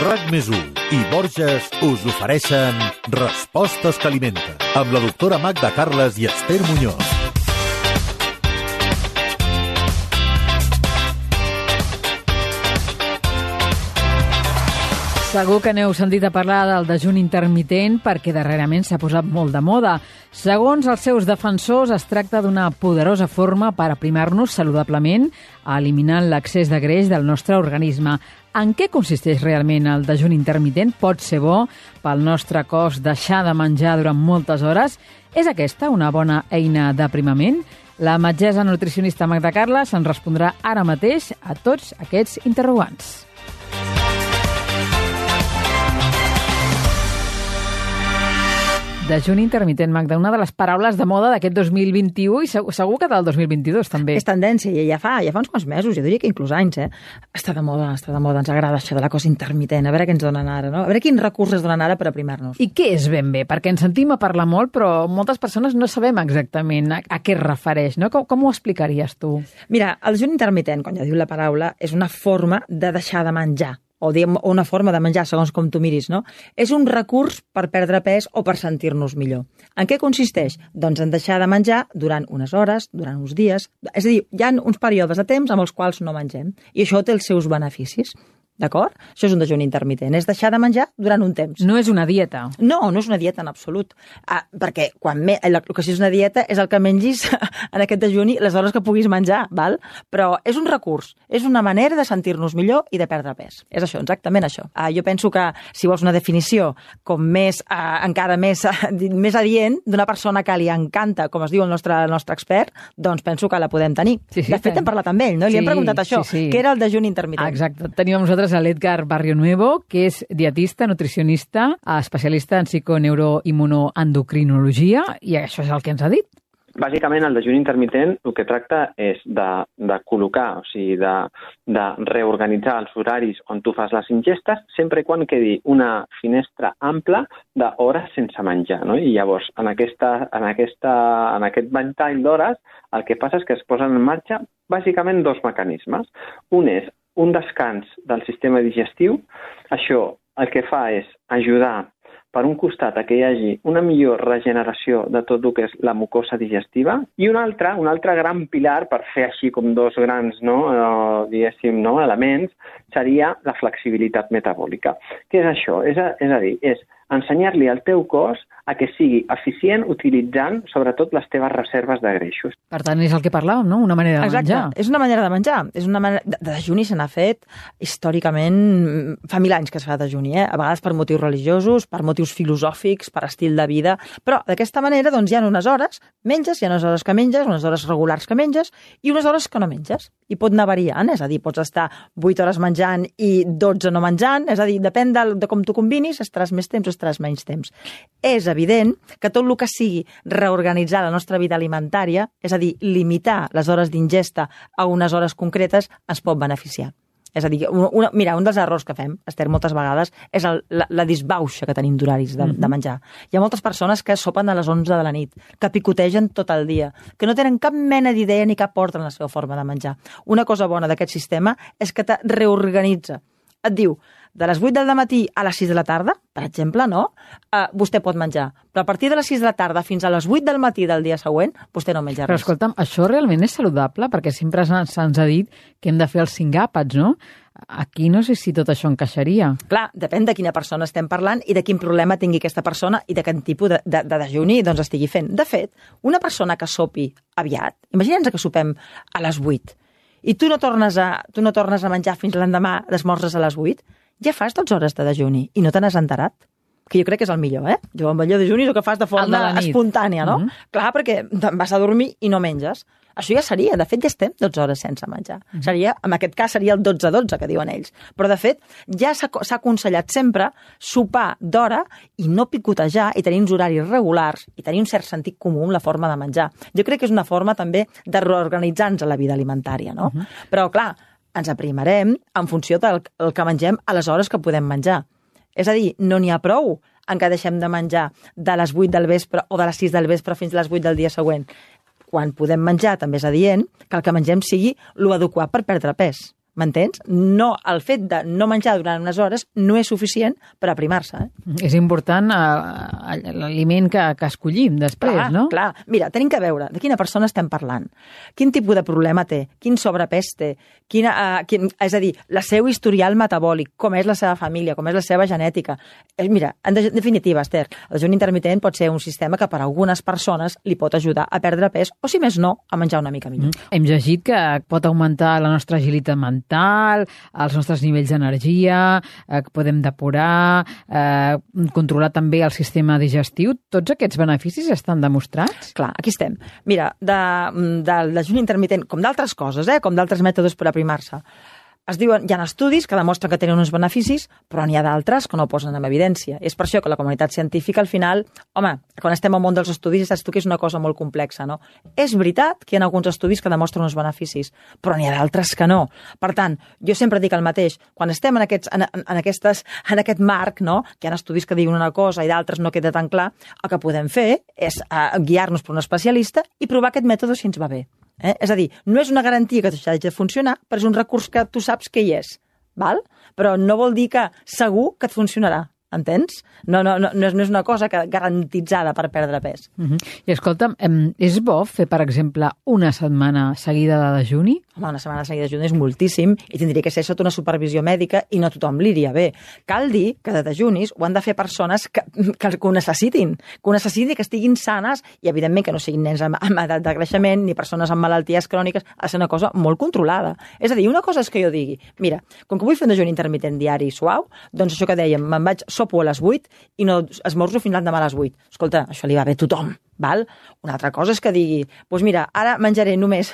RAC+1 i Borges us ofereixen Respostes que alimenten, amb la doctora Magda Carles i Esther Muñoz. Segur que n'heu sentit a parlar del dejuni intermitent perquè darrerament s'ha posat molt de moda. Segons els seus defensors, es tracta d'una poderosa forma per aprimar-nos saludablement, eliminant l'excés de greix del nostre organisme. En què consisteix realment el dejuni intermitent? Pot ser bo pel nostre cos deixar de menjar durant moltes hores? És aquesta una bona eina d'aprimament? La metgessa nutricionista Magda Carles ens respondrà ara mateix a tots aquests interrogants. Dejuni intermitent, Magda, una de les paraules de moda d'aquest 2021 i segur que del 2022 també. És tendència, ja fa uns quants mesos, jo diria que inclús anys, Està de moda, ens agrada això de la cosa intermitent, a veure què ens donen ara, no? A veure quins recursos donen ara per aprimar-nos. I què és ben bé? Perquè ens sentim a parlar molt, però moltes persones no sabem exactament a què es refereix, no? Com ho explicaries tu? Mira, el dejuni intermitent, quan ja diu la paraula, és una forma de deixar de menjar, o una forma de menjar, segons com tu miris, no? És un recurs per perdre pes o per sentir-nos millor. En què consisteix? Doncs en deixar de menjar durant unes hores, durant uns dies. És a dir, hi ha uns períodes de temps amb els quals no mengem. I això té els seus beneficis. D'acord? Això és un dejuni intermitent. És deixar de menjar durant un temps. No és una dieta. No és una dieta en absolut. Perquè el que sí és una dieta és el que mengis en aquest dejuni les hores que puguis menjar, val? Però és un recurs, és una manera de sentir-nos millor i de perdre pes. És això, exactament això. Jo penso que si vols una definició com encara més adient d'una persona que li encanta, com es diu el nostre expert, doncs penso que la podem tenir. Sí, de fet, hem parlat amb ell, no? Li hem preguntat això, què era el dejuni intermitent. Exacte. Tenim amb nosaltres a l'Edgar Barrionuevo, que és dietista, nutricionista, especialista en psiconeuroimmunoendocrinologia, i això és el que ens ha dit. Bàsicament, el dejuni intermitent el que tracta és de col·locar, o sigui, de reorganitzar els horaris on tu fas les ingestes, sempre quan quedi una finestra ampla d'hores sense menjar, no? I llavors, en aquest ventall d'hores, el que passa és que es posen en marxa bàsicament dos mecanismes. Un és un descans del sistema digestiu. Això el que fa és ajudar, per un costat, a que hi hagi una millor regeneració de tot el que és la mucosa digestiva, i un altre gran pilar, per fer així com dos grans elements, seria la flexibilitat metabòlica. Què és això? És a dir, és ensenyar-li al teu cos a que sigui eficient utilitzant, sobretot, les teves reserves de greixos. Per tant, és el que parlàvem, no? Una manera de menjar. Exacte, és una manera de menjar. És una manera... De dejuni se n'ha fet històricament, fa 1000 anys que es fa dejuni, a vegades per motius religiosos, per motius filosòfics, per estil de vida, però d'aquesta manera doncs, hi ha unes hores menges, hi ha unes hores que menges, unes hores regulars que menges i unes hores que no menges. I pot anar variant, és a dir, pots estar 8 hores menjant i 12 no menjant, és a dir, depèn de com tu combinis, estaràs més temps o estaràs menys temps. És evident que tot el que sigui reorganitzar la nostra vida alimentària, és a dir, limitar les hores d'ingesta a unes hores concretes, ens pot beneficiar. És a dir, mira, un dels errors que fem, Esther, moltes vegades, és la disbauxa que tenim d'horaris de menjar. Hi ha moltes persones que sopen a les 11 de la nit, que picotegen tot el dia, que no tenen cap mena d'idea ni cap ordre en la seva forma de menjar. Una cosa bona d'aquest sistema és que te reorganitza. Et diu, de les 8 del matí a les 6 de la tarda, per exemple, no? Vostè pot menjar. Però a partir de les 6 de la tarda fins a les 8 del matí del dia següent, vostè no menja res. Però escolta'm, això realment és saludable? Perquè sempre se'ns ha dit que hem de fer els 5 àpats, no? Aquí no sé si tot això encaixaria. Clar, depèn de quina persona estem parlant i de quin problema tingui aquesta persona i de quin tipus de dejuni doncs estigui fent. De fet, una persona que sopi aviat, imaginem que sopem a les 8 i tu no tornes a menjar fins l'endemà d'esmorzes a les 8, ja fas 12 hores de dejuni i no te n'has enterat. Que jo crec que és el millor, Jo el millor dejuni és el que fas de forma espontània, no? Clar, perquè te'n vas a dormir i no menges. Això ja seria, de fet, ja estem 12 hores sense menjar. En aquest cas seria el 12-12, que diuen ells. Però, de fet, ja s'ha aconsellat sempre sopar d'hora i no picotejar i tenir uns horaris regulars i tenir un cert sentit comú en la forma de menjar. Jo crec que és una forma també de reorganitzar-nos a la vida alimentària, no? Però, clar, ens aprimarem en funció del que mengem a les hores que podem menjar. És a dir, no n'hi ha prou en què deixem de menjar de les 8 del vespre o de les 6 del vespre fins a les 8 del dia següent. Quan podem menjar, també és adient que el que mengem sigui l'adequat per perdre pes. M'entens? No, el fet de no menjar durant unes hores no és suficient per aprimar-se. És important l'aliment que escollim després, no? Clar. Mira, tenim que veure de quina persona estem parlant, quin tipus de problema té, quin sobrepès té, és a dir, la seu historial metabòlic, com és la seva família, com és la seva genètica. Mira, en definitiva, Esther, el dejuni intermitent pot ser un sistema que per a algunes persones li pot ajudar a perdre pes o, si més no, a menjar una mica millor. Hem llegit que pot augmentar la nostra agilitat mental, els nostres nivells d'energia, que podem depurar, controlar també el sistema digestiu. Tots aquests beneficis estan demostrats? Clar, aquí estem. Mira, del dejuni intermitent, com d'altres coses, com d'altres mètodes per aprimar-se, es diuen, hi ha estudis que demostren que tenen uns beneficis, però n'hi ha d'altres que no ho posen en evidència. És per això que la comunitat científica, al final, home, quan estem al món dels estudis, saps tu que és una cosa molt complexa, no? És veritat que hi ha alguns estudis que demostren uns beneficis, però n'hi ha d'altres que no. Per tant, jo sempre dic el mateix, quan estem en aquest marc, no?, que hi ha estudis que diuen una cosa i d'altres no queda tan clar, el que podem fer és guiar-nos per un especialista i provar aquest mètode si ens va bé. És a dir, no és una garantia que això hagi de funcionar, però és un recurs que tu saps que hi és, val? Però no vol dir que segur que et funcionarà, entens? No és una cosa garantitzada per perdre pes. I escolta'm, és bo fer, per exemple, una setmana seguida de dejuni? Home, una setmana seguida de dejuni és moltíssim i tindria que ser sota una supervisió mèdica i no a tothom li iria bé. Cal dir que de dejunis ho han de fer persones que ho necessitin, que estiguin sanes i, evidentment, que no siguin nens amb edat de creixement ni persones amb malalties cròniques. Ha de ser una cosa molt controlada. És a dir, una cosa és que jo digui, mira, com que vull fer un dejuni intermitent diari suau, doncs això que dèiem, sopo a les 8 i no esmorzo fins l'endemà a les 8. Escolta, això li va bé a tothom. Val? Una altra cosa és que digui, doncs mira, ara menjaré només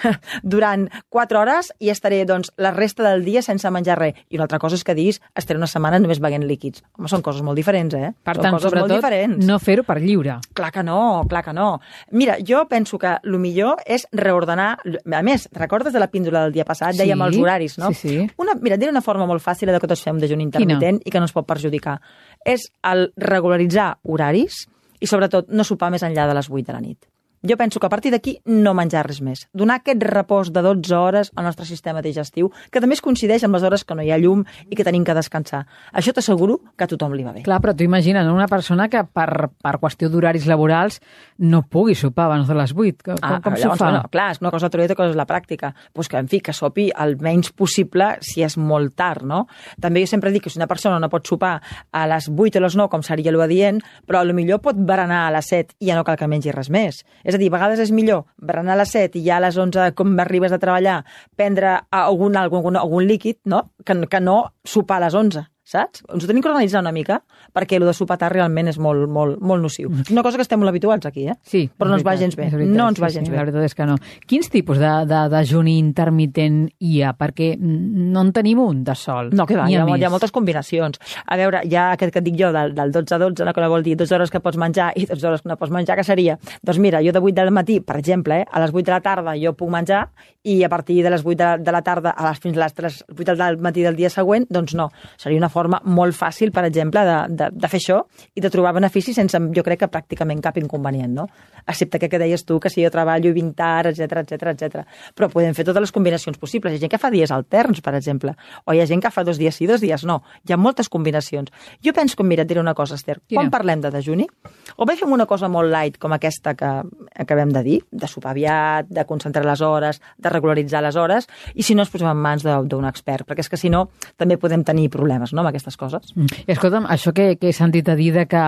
durant 4 hores i estaré doncs, la resta del dia sense menjar res. I una altra cosa és que diguis, estaré una setmana només beguent líquids. Home, són coses molt diferents, Per tant, sobretot, no fer-ho per lliure. Clar que no. Mira, jo penso que el millor és reordenar... A més, recordes de la píndola del dia passat? Sí. Dèiem els horaris, no? Sí. Mira, diré una forma molt fàcil de que tots fem dejuni intermitent i que no ens pot perjudicar. És el regularitzar horaris i, sobretot, no sopar més enllà de les 8 de la nit. Jo penso que a partir d'aquí no menjar res més. Donar aquest repòs de 12 hores al nostre sistema digestiu, que també es coincideix amb les hores que no hi ha llum i que tenim que descansar. Això t'asseguro que a tothom li va bé. Clar, però tu imagina't una persona que per qüestió d'horaris laborals no pugui sopar abans de les 8. Com s'ho fa? Bueno, clar, és una cosa teòrica, cosa és la pràctica. Pues que, en fi, que sopi el menys possible si és molt tard, no? També jo sempre dic que si una persona no pot sopar a les 8 o a les 9, com seria l'adient, però potser pot berenar a les 7 i ja no cal que mengi res més. És a dir, a vegades és millor berenar a les 7 i ja a les 11, com arribes a treballar, prendre algun líquid, no? Que no sopar a les 11. Saps? Ens ho tenim que organitzar una mica perquè el de sopar tard realment és molt nociu. És una cosa que estem molt habituats aquí, Sí, però no ens va gens bé. No ens va gens bé. La veritat és que no. Quins tipus de dejuni intermitent hi ha? Perquè no en tenim un de sol. No, que va, hi ha moltes combinacions. A veure, hi ha aquest que et dic jo, del 12 a 12, que vol dir 12 hores que pots menjar i 12 hores que no pots menjar, que seria? Doncs mira, jo de 8 del matí, per exemple, a les 8 de la tarda jo puc menjar i a partir de les 8 de la tarda fins a les 8 del matí del dia següent, doncs no. Seria una forma molt fàcil, per exemple, de fer això i de trobar beneficis sense, jo crec que pràcticament cap inconvenient, no? Excepte que deies tu, que si jo treballo i vinc tard, etc. Però podem fer totes les combinacions possibles. Hi ha gent que fa dies alterns, per exemple, o hi ha gent que fa 2 dies sí, 2 dies no. Hi ha moltes combinacions. Jo penso que, mira, et diré una cosa, Esther, quan parlem de dejuni, o bé fem una cosa molt light, com aquesta que acabem de dir, de sopar aviat, de concentrar les hores, de regularitzar les hores, i si no ens posem en mans d'un expert, perquè és que si no també podem tenir problemes, no?, amb aquestes coses. Escolta'm, això que he sentit a dir de que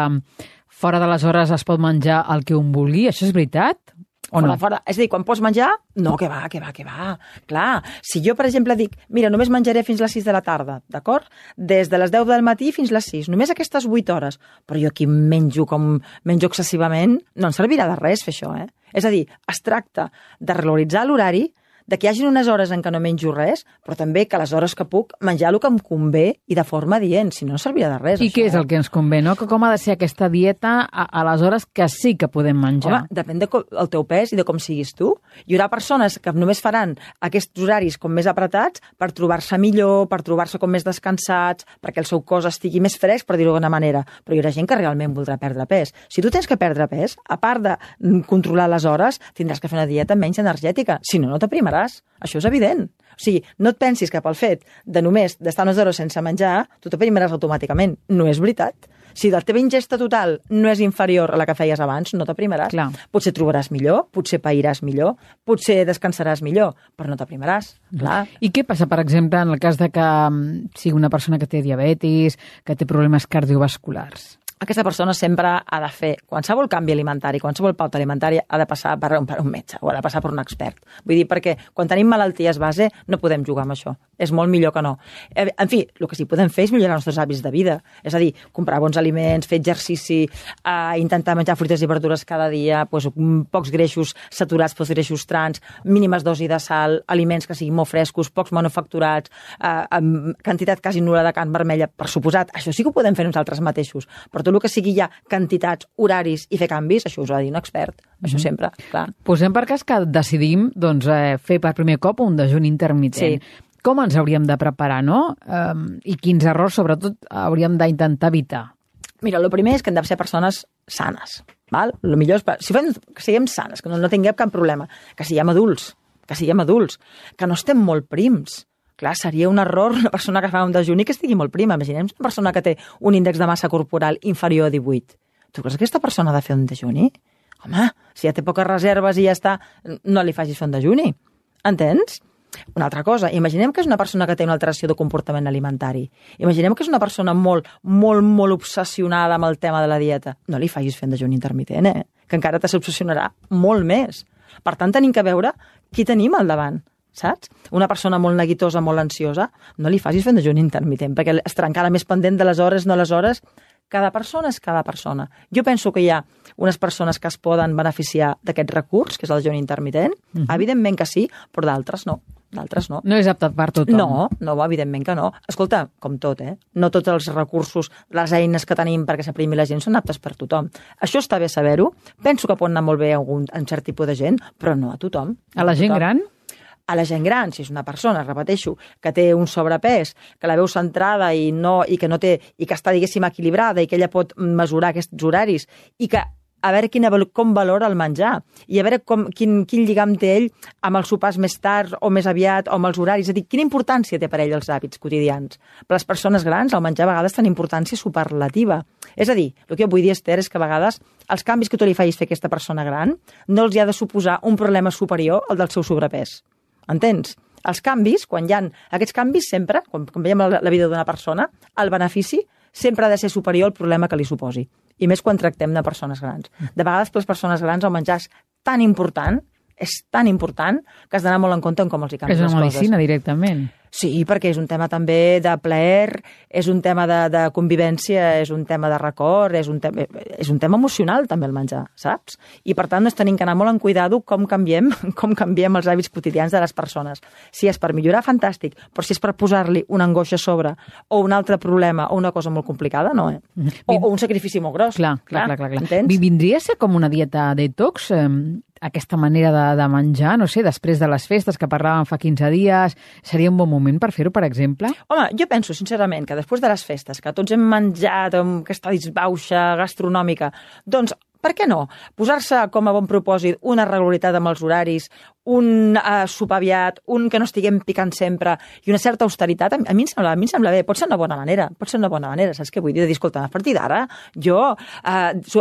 fora de les hores es pot menjar el que un vulgui, això és veritat? O no? Fora. És a dir, quan pots menjar, no, que va. Clar, si jo, per exemple, dic, mira, només menjaré fins les 6 de la tarda, d'acord? Des de les 10 del matí fins les 6, només aquestes 8 hores. Però jo aquí menjo excessivament, no em servirà de res fer això, És a dir, es tracta de regularitzar l'horari, de que hi hagi unes hores en què no menjo res, però també que a les hores que puc menjar el que em convé i de forma adient, si no servirà de res. I què és el que ens convé, no? Com ha de ser aquesta dieta a les hores que sí que podem menjar? Home, depèn del teu pes i de com siguis tu. Hi haurà persones que només faran aquests horaris com més apretats per trobar-se millor, per trobar-se com més descansats, perquè el seu cos estigui més fresc, per dir-ho d'alguna manera. Però hi haurà gent que realment voldrà perdre pes. Si tu tens que perdre pes, a part de controlar les hores, tindràs que fer una dieta menys energètica, si no, no t'aprimaràs. trobaràs. Això és evident. O sigui, no et pensis que pel fet de només d'estar unes hores sense menjar, tu t'aprimaràs automàticament. No és veritat. Si la teva ingesta total no és inferior a la que feies abans, no t'aprimaràs. Clar. Potser trobaràs millor, potser pairàs millor, potser descansaràs millor, però no t'aprimaràs. Clar. I què passa, per exemple, en el cas de que sigui una persona que té diabetis, que té problemes cardiovasculars? Aquesta persona sempre ha de fer qualsevol canvi alimentari, qualsevol pauta alimentària ha de passar per un metge o ha de passar per un expert. Vull dir, perquè quan tenim malalties base no podem jugar amb això. És molt millor que no. En fi, el que sí podem fer és millorar els nostres hàbits de vida. És a dir, comprar bons aliments, fer exercici, intentar menjar fruites i verdures cada dia, pocs greixos saturats, pocs greixos trans, mínimes dosis de sal, aliments que siguin molt frescos, pocs manufacturats, amb quantitat quasi nul·la de carn vermella, per suposat. Això sí que ho podem fer nosaltres mateixos. Però tot el que sigui ja quantitats, horaris i fer canvis, això us ho ha de dir un expert. Això sempre, clar. Posem per cas que decidim fer per primer cop un dejuni intermitent. Sí. Com ens hauríem de preparar, no? I quins errors, sobretot, hauríem d'intentar evitar? Mira, el primer és que hem de ser persones sanes. Val? El millor és que siguem sanes, que no tinguem cap problema, que siguem adults, que no estem molt prims. Clar, seria un error una persona que fa un dejuni que estigui molt prima. Imaginem una persona que té un índex de massa corporal inferior a 18. Tu creus que aquesta persona ha de fer un dejuni? Home, si ja té poques reserves i ja està, no li facis fer un dejuni. Entens? Una altra cosa, imaginem que és una persona que té una alteració de comportament alimentari. Imaginem que és una persona molt, molt, molt obsessionada amb el tema de la dieta. No li facis fer un dejuni intermitent, que encara t'obsessionarà molt més. Per tant, tenim que veure qui tenim al davant. Saps? Una persona molt neguitosa, molt ansiosa, no li facis fer un dejuni intermitent, perquè estarà encara més pendent de les hores, no les hores. Cada persona és cada persona. Jo penso que hi ha unes persones que es poden beneficiar d'aquest recurs, que és el dejuni intermitent. Evidentment que sí, però d'altres no. No és apte per tothom. No, evidentment que no. Escolta, com tot, no tots els recursos, les eines que tenim perquè s'aprimi la gent són aptes per tothom. Això està bé saber-ho. Penso que pot anar molt bé a un cert tipus de gent, però no a tothom. A la gent gran? A la gent gran, si és una persona, repeteixo, que té un sobrepès, que la veu centrada i que està, diguéssim, equilibrada i que ella pot mesurar aquests horaris i que a veure com valora el menjar i a veure quin lligam té ell amb els sopars més tard o més aviat o amb els horaris. És a dir, quina importància té per ell els hàbits quotidians. Per les persones grans, el menjar a vegades té una importància superlativa. És a dir, el que jo vull dir, Esther, és que a vegades els canvis que tu li facis fer a aquesta persona gran no els hi ha de suposar un problema superior al del seu sobrepès. Entens? Els canvis, quan hi ha aquests canvis sempre, quan veiem la vida d'una persona, el benefici sempre ha de ser superior al problema que li suposi. I més quan tractem de persones grans. De vegades per les persones grans el menjar és tan important que has d'anar molt en compte en com els hi canvies les coses. És una medicina directament. Sí, perquè és un tema també de plaer, és un tema de convivència, és un tema de record, és un tema emocional també el menjar, saps? I per tant tenim que anar molt en cuidado com canviem els hàbits quotidians de les persones. Si és per millorar, fantàstic, però si és per posar-li una angoixa a sobre o un altre problema o una cosa molt complicada, no, O un sacrifici molt gros. Clar. Entens? Vindria a ser com una dieta detox, aquesta manera de menjar, no sé, després de les festes que parlàvem fa 15 dies, seria un bon moment per fer-ho, per exemple? Home, jo penso, sincerament, que després de les festes, que tots hem menjat amb aquesta disbauxa gastronòmica, doncs, per què no? Posar-se com a bon propòsit una regularitat amb els horaris, un sopar aviat, un que no estiguem picant sempre i una certa austeritat, a mi em sembla bé, pot ser una bona manera, saps què vull dir? De dir, escolta, a partir d'ara jo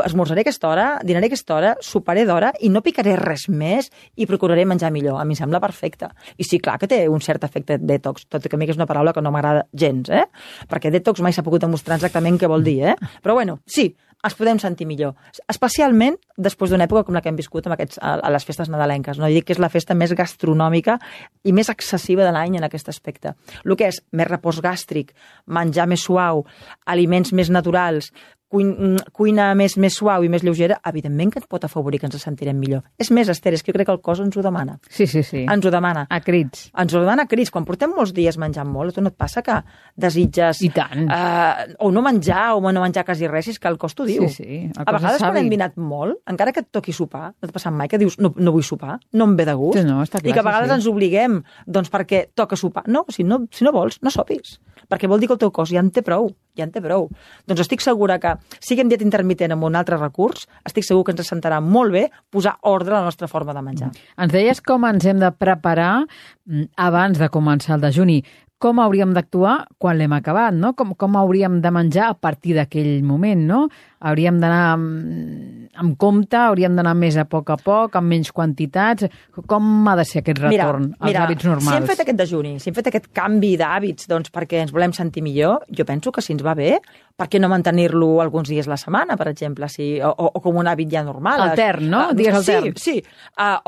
esmorzaré a aquesta hora, dinaré a aquesta hora, soparé d'hora i no picaré res més i procuraré menjar millor. A mi em sembla perfecte. I sí, clar que té un cert efecte detox, tot i que a mi és una paraula que no m'agrada gens, perquè detox mai s'ha pogut demostrar exactament què vol dir, Però bueno, sí, ens podem sentir millor, especialment després d'una època com la que hem viscut a les festes nadalenques. No? Jo dic que és la festa més gastronòmica i més excessiva de l'any en aquest aspecte. El que és més repòs gàstric, menjar més suau, aliments més naturals, cuina més suau i més lleugera, evidentment que et pot afavorir que ens sentirem millor. És més, Esther, és que jo crec que el cos ens ho demana. Sí. Ens ho demana. A crits. Ens ho demana a crits. Quan portem molts dies menjant molt, a tu no et passa que desitges... I tant. O no menjar, o no menjar quasi res, és que el cos t'ho diu. Sí. A vegades quan hem dinat molt, encara que et toqui sopar, no t'ha passat mai que dius no vull sopar, no em ve de gust. Sí, no, està clar, I que a vegades ens obliguem, doncs perquè toca sopar. No, si no vols, no sopis. perquè vol dir que el teu cos ja en té prou. Doncs estic segura que, siguem dieta intermitent amb un altre recurs, estic segur que ens sentarà molt bé posar ordre a la nostra forma de menjar. Ens deies com ens hem de preparar abans de començar el dejuni. Com hauríem d'actuar quan l'hem acabat, no? Com hauríem de menjar a partir d'aquell moment, no? Hauríem d'anar amb compte, hauríem d'anar més a poc, amb menys quantitats. Com ha de ser aquest retorn als hàbits normals? Si hem fet aquest dejuni, si hem fet aquest canvi d'hàbits doncs, perquè ens volem sentir millor, jo penso que si ens va bé, per què no mantenir-lo alguns dies a la setmana, per exemple, o com un hàbit ja normal? Altern, no? Dies altern. Sí.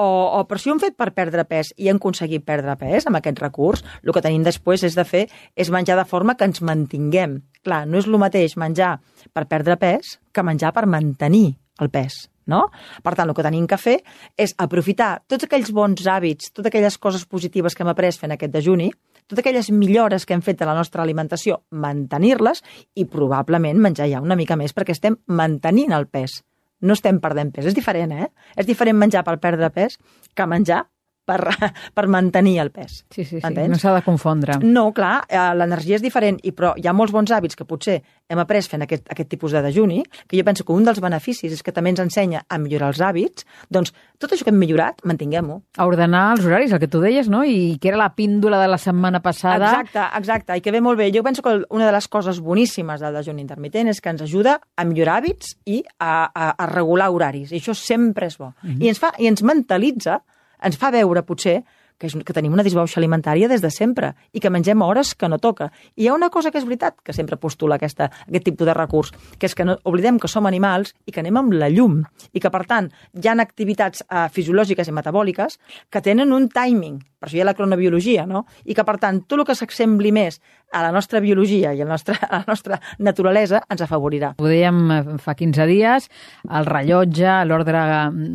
O per si ho hem fet per perdre pes i hem aconseguit perdre pes amb aquest recurs, el que tenim després és menjar de forma que ens mantinguem. Clar, no és el mateix menjar per perdre pes que menjar per mantenir el pes, no? Per tant, el que tenim que fer és aprofitar tots aquells bons hàbits, totes aquelles coses positives que hem après fent aquest dejuni, totes aquelles millores que hem fet a la nostra alimentació, mantenir-les i probablement menjar ja una mica més perquè estem mantenint el pes. No estem perdent pes. És diferent, És diferent menjar per perdre pes que menjar per mantenir el pes. Sí. No s'ha de confondre. No, clar, l'energia és diferent, però hi ha molts bons hàbits que potser hem après fent aquest tipus de dejuni, que jo penso que un dels beneficis és que també ens ensenya a millorar els hàbits, doncs tot això que hem millorat, mantinguem-ho. A ordenar els horaris, el que tu deies, no? I que era la píndola de la setmana passada. Exacte, i que ve molt bé. Jo penso que una de les coses boníssimes del dejuni intermitent és que ens ajuda a millorar hàbits i a regular horaris, i això sempre és bo. I ens mentalitza, ens fa veure, potser, que tenim una disbauxa alimentària des de sempre i que mengem a hores que no toca. I hi ha una cosa que és veritat, que sempre postula aquest tipus de recurs, que és que no oblidem que som animals i que anem amb la llum i que, per tant, hi ha activitats fisiològiques i metabòliques que tenen un timing, per això hi ha la cronobiologia, no? I que, per tant, tot el que s'assembli més a la nostra biologia i a la nostra naturalesa ens afavorirà. Ho dèiem fa 15 dies, el rellotge, l'ordre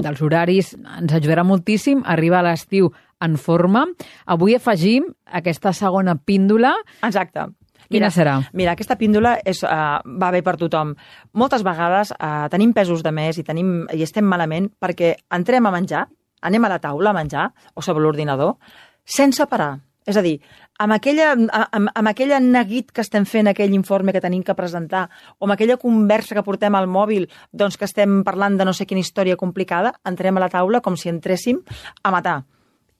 dels horaris ens ajudarà moltíssim a arribar a l'estiu en forma. Avui afegim aquesta segona píndola. Exacte. Quina serà? Mira, aquesta píndola va bé per tothom. Moltes vegades tenim pesos de més i estem malament perquè entrem a menjar, anem a la taula a menjar o sobre l'ordinador sense parar. És a dir, amb aquella neguit que estem fent, aquell informe que tenim que presentar, o amb aquella conversa que portem al mòbil, doncs que estem parlant de no sé quina història complicada, entrem a la taula com si entréssim a matar.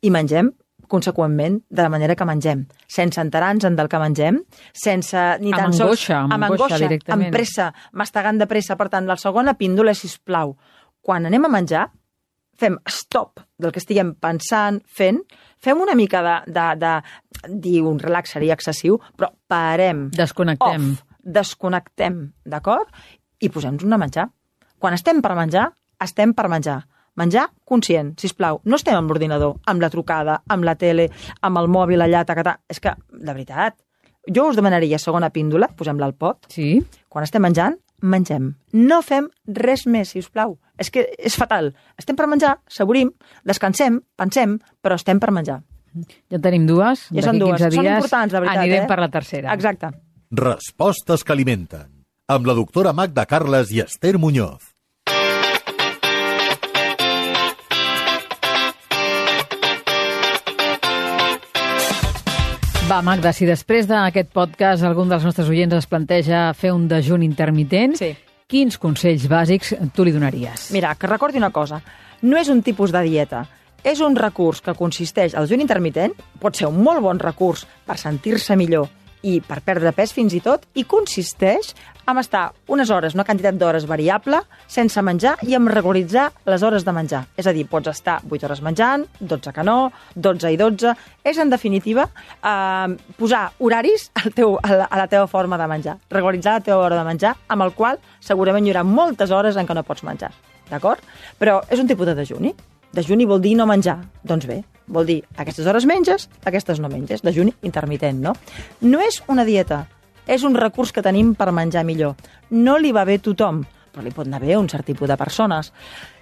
I mengem conseqüentment de la manera que mengem, sense enterar-nos del que mengem, sense ni tan sols... Amb angoixa, directament. Amb pressa, mastegant de pressa. Per tant, la segona píndola, sisplau, quan anem a menjar, fem stop del que estiguem pensant, fem una mica dir un relax seria excessiu, però parem. Desconnectem. Desconnectem, d'acord? I posem-nos a menjar. Quan estem per menjar, estem per menjar. Menjar conscient, sisplau. No estem amb l'ordinador, amb la trucada, amb la tele, amb el mòbil allà, tacatà. És que, de veritat, jo us demanaria segona píndola, posem-la al pot. Sí. Quan estem menjant, mengem. No fem res més, sisplau. És que és fatal. Estem per menjar, saborim, descansem, pensem, però estem per menjar. Ja tenim dues. Ja són dues. Són importants, de veritat. Anirem per la tercera. Exacte. Respostes que alimenten. Amb la doctora Magda Carles i Esther Muñoz. Va, Magda, si després d'aquest podcast algun dels nostres oients es planteja fer un dejuni intermitent, sí. Quins consells bàsics tu li donaries? Mira, que recordi una cosa. No és un tipus de dieta. És un recurs que consisteix... El dejuni intermitent pot ser un molt bon recurs per sentir-se millor i per perdre pes fins i tot, i consisteix en estar unes hores, una quantitat d'hores variable, sense menjar i en regularitzar les hores de menjar. És a dir, pots estar 8 hores menjant, 12 que no, 12 i 12... És, en definitiva, posar horaris a la teva forma de menjar. Regularitzar la teva hora de menjar, amb el qual segurament hi haurà moltes hores en què no pots menjar. D'acord? Però és un tipus de dejuni. Dejuni vol dir no menjar. Doncs bé, vol dir aquestes hores menges, aquestes no menges. Dejuni intermitent, no? No és una dieta. És un recurs que tenim per menjar millor. No li va bé a tothom, però li pot anar bé a un cert tipus de persones.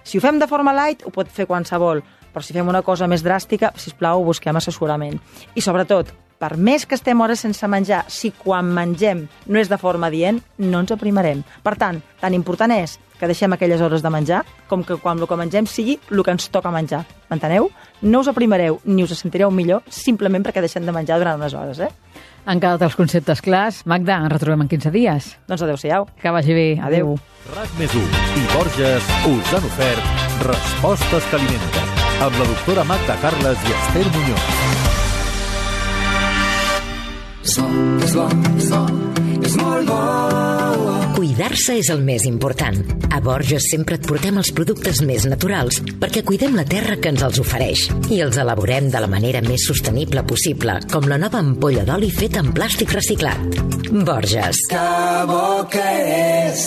Si ho fem de forma light, ho pot fer qualsevol, però si fem una cosa més dràstica, sisplau, busquem assessorament. I sobretot, per més que estem hores sense menjar, si quan mengem no és de forma adient, no ens aprimarem. Per tant, tan important és que deixem aquelles hores de menjar com que quan el que mengem sigui el que ens toca menjar. M'enteneu? No us aprimareu ni us sentireu millor simplement perquè deixem de menjar durant unes hores, Han quedat els conceptes clars. Magda, ens retrobem en 15 dies. Doncs adéu-siau. Que vagi bé. Adéu. RAC+1 i Borges us han ofert Respostes que alimenten, amb la doctora Magda Carles i Esther Muñoz. És molt bo. Cuidar-se és el més important. A Borges sempre et portem els productes més naturals perquè cuidem la terra que ens els ofereix i els elaborem de la manera més sostenible possible, com la nova ampolla d'oli feta en plàstic reciclat. Borges. Que bo que és.